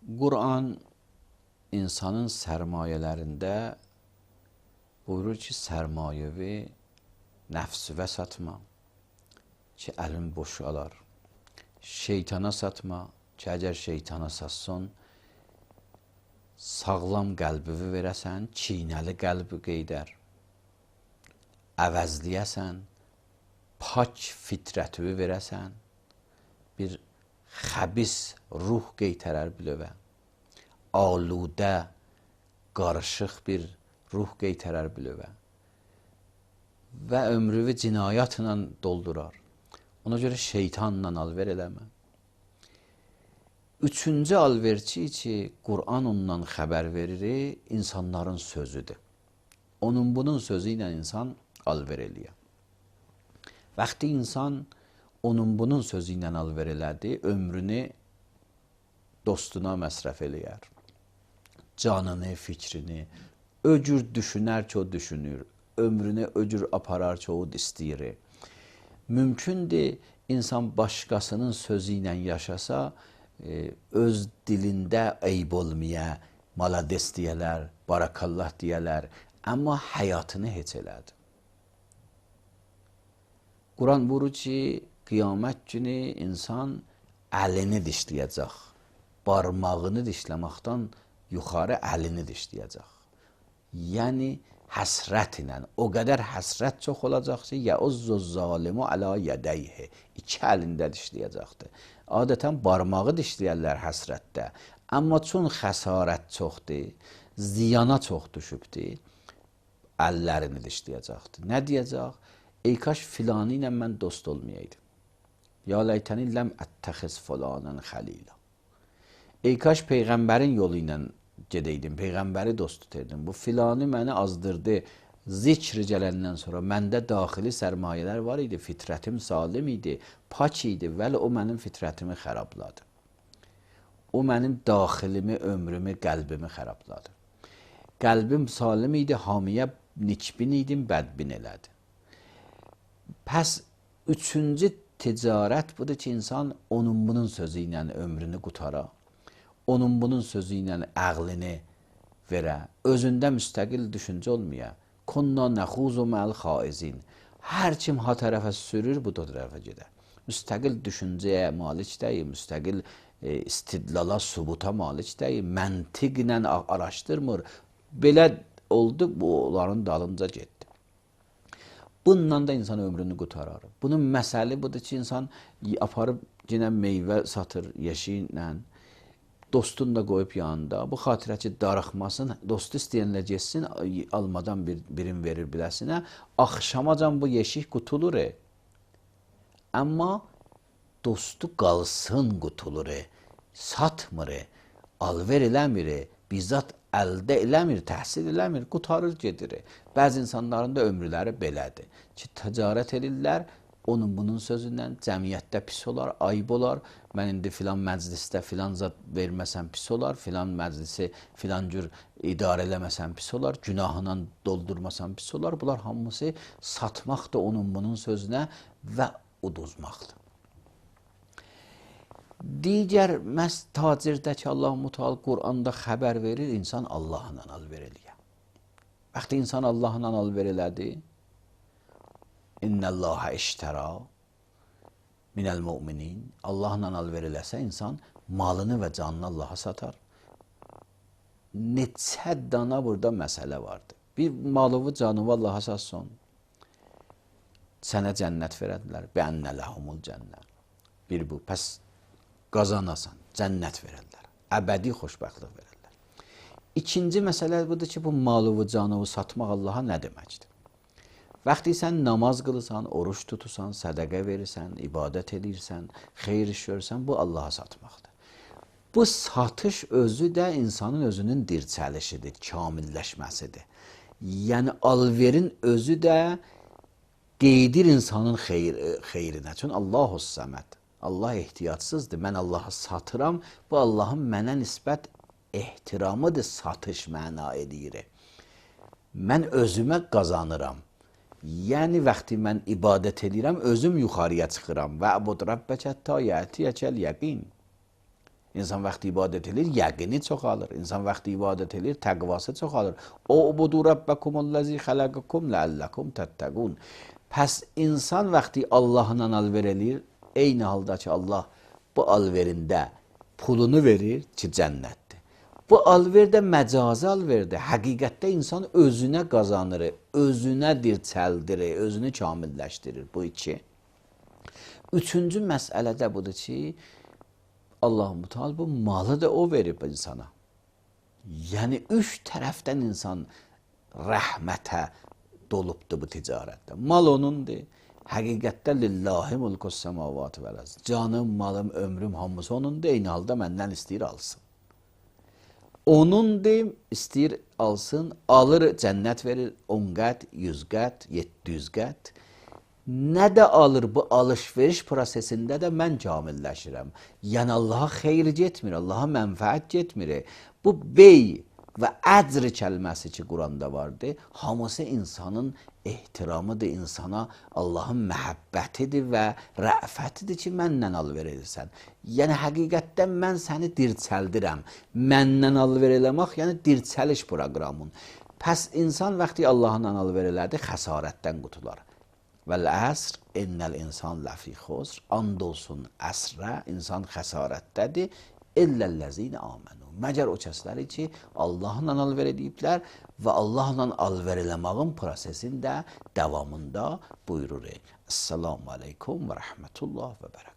Quran insanın sərmayələrində buyurur ki, sərmayəvi nəfsivə satma ki, əlin boşalar. Şeytana satma ki, əgər şeytana satson, sağlam qəlbivi verəsən, çiynəli qəlbi qeydər. Əvəzləyəsən, pak fitrətivi verəsən, bir xəbis ruh qeytərər bilövə. Aludə, qarışıq bir ruh qeytərər bilövə. Və ömrüvü cinayətlə doldurar. Ona görə şeytanla alver eləmə. Üçüncü alverçi ki, Qur'an ondan xəbər verir, insanların sözüdür. Onun bunun sözü ilə insan alver eləyər. Vaxtı insan onun bunun sözü ilə alver elədi, ömrünü dostuna məsrəf eləyər. Canını, fikrini, öcür düşünər ki, o düşünür. Ömrünü öcür aparar ki, o istəyir. Mümkündür, insan başqasının sözü ilə yaşasa, öz dilində eyb olmaya, malades deyələr, barakallah deyələr, amma həyatını heç elədi. Quran buyurur ki, qiyamət günü insan əlini dişləyəcək. Barmağını dişləməkdən yuxarı əlini dişləyəcək. Yəni, həsrət ilə, o qədər həsrət çox olacaq ki, yəuzzu zalimu alə yədəyhi, iki əlində dişləyəcəkdir. Adətən barmağı dişləyərlər həsrətdə, amma çün xəsarət çoxdur, ziyana çox düşübdür, əllərini dişləyəcəkdir. Nə deyəcək? Ey kaş filanı ilə mən dost olmayaydım. Ya ləytəni ləm ətəxiz filanən xəlilə. Ey kaş Peyğəmbərin yolu ilə gedəydim, Peyğəmbəri dost tutardım. Bu filanı məni azdırdı. Zikr gələndən sonra məndə daxili sərmayələr var idi, fitrətim salim idi, pak idi, vəli o mənim fitrətimi xərabladı. O mənim daxilimi, ömrümü, qəlbimi xərabladı. Qəlbim salim idi, hamiyə nikbin idim, bədbin elədi. Pəs üçüncü ticarət budur ki, insan onun bunun sözü ilə ömrünü qutara, onun bunun sözü ilə əqlini verə, özündə müstəqil düşüncə olmaya. Kunna nəxuzu məl xaizin. Hər kim ha tərəfə sürür, bu da tərəfə gedər. Müstəqil düşüncəyə malik deyil, müstəqil istidlala, subuta malik deyil, məntiqlə araşdırmır. Belə oldu, bu onların dalınca getdi. Bununla da insan ömrünü qutarar. Bunun məsəli budur ki, insan aparıb yenə meyvə satır yeşiklə, dostunu da qoyub yanında. Bu xatirə ki, darıxmasın, dostu istəyənlə geçsin, almadan birin verir biləsinə. Axşamacan bu yeşik qutulur. Amma dostu qalsın qutulur. Satmır, alver eləmir, bizzat əldə eləmir, təhsil eləmir, qutarır gedir. Bəzi insanların da ömrüləri belədir ki, ticarət edirlər, onun bunun sözündən cəmiyyətdə pis olar, ayıb olar. Mən indi filan məclisdə filan zat verməsəm pis olar, filan məclisi filan cür idarə eləməsəm pis olar, günahla doldurmasam pis olar. Bunlar hamısı satmaqdır onun bunun sözünə və uduzmaqdır. Digər məhz tacirdəki Allah-u Müteal Quranda xəbər verir, insan Allahla alver eləyə. Vaxtı insan Allahla alver elədi, İnnəlləhə iştəra minəl müminin. Allahla alver eləsə, insan malını və canını Allaha satar. Neçə dana burada məsələ vardır. Bir malını, canını Allaha satson, sənə cənnət verədilər. Bənnə ləhumul cənnət. Bir bu, pəs qazanasan, cənnət verərlər. Əbədi xoşbəxtlik verərlər. İkinci məsələ budur ki, bu malı, canı satmaq Allaha nə deməkdir? Vaxtı sən namaz qılırsan, oruç tutursan, sədəqə verirsən, ibadət edirsən, xeyir iş görürsən, bu Allaha satmaqdır. Bu satış özü də insanın özünün dirçəlişidir, kamilləşməsidir. Yəni alverin özü də qeydir insanın xeyrinə. Çünki Allahu səməd. Allah ehtiyatsızdır. Mən Allahı satıram. Bu Allahın mənə nisbət ehtiramıdır, satış məna edir. Mən özümə qazanıram. Yəni, vaxtı mən ibadət edirəm, özüm yuxarıya çıxıram. Və əbud Rabbəkə həttə yətiyəkəl yəqin. İnsan vaxtı ibadət edir, yəqini çoxalır. İnsan vaxtı ibadət edir, təqvası çoxalır. Ubudu rabbakumul-lezî xalaqakum leallekum tettaqun. Pəs insan vaxtı Allahla alver eləyir, eyni halda ki Allah bu alverində pulunu verir ki cənnətdir. Bu alverdə məcazi alverdir. Həqiqətdə insan özünə qazanır, özünə dirçəldir, özünü kamilləşdirir. Bu iki. Üçüncü məsələ də budur ki, Allah-u Teala bu malı da o verib insana. Yəni üç tərəfdən insan rəhmətə dolubdur bu ticarətdə. Mal onundur. Həqiqətdə lillahi mulkus semavat vəl ard. Canım, malım, ömrüm hamısı onundur. Eyni halda məndən istəyir alsın. Onundur, istəyir alsın, alır, cənnət verir 10 qət, 100 qət, 700 qət. Nə də alır bu alış-veriş prosesində də mən kamilləşirəm. Yəni Allaha xeyr getmir, Allaha mənfəət getmir. Bu bey və əcr kəlməsi ki Quranda vardır, hamısı insanın ehtiramıdır, insana Allahın məhəbbətidir və rəfətidir ki məndən alver edirsən. Yəni həqiqətdən mən səni dirçəldirəm. Məndən alver eləmək, yəni dirçəliş proqramın. Pəs insan vaxtı Allahla alver elədi, xəsarətdən qutular. Vəl-əsr innəl insan ləfi xusr. And olsun əsrə, insan xəsarətdədir. İlləl-ləzîne âmenû. Məgər o kəsləri ki, Allahla alver ediblər və Allahla alver eləmağın prosesində, davamında buyurur. Esselamu aleykum və rəhmətullah və bərəkət.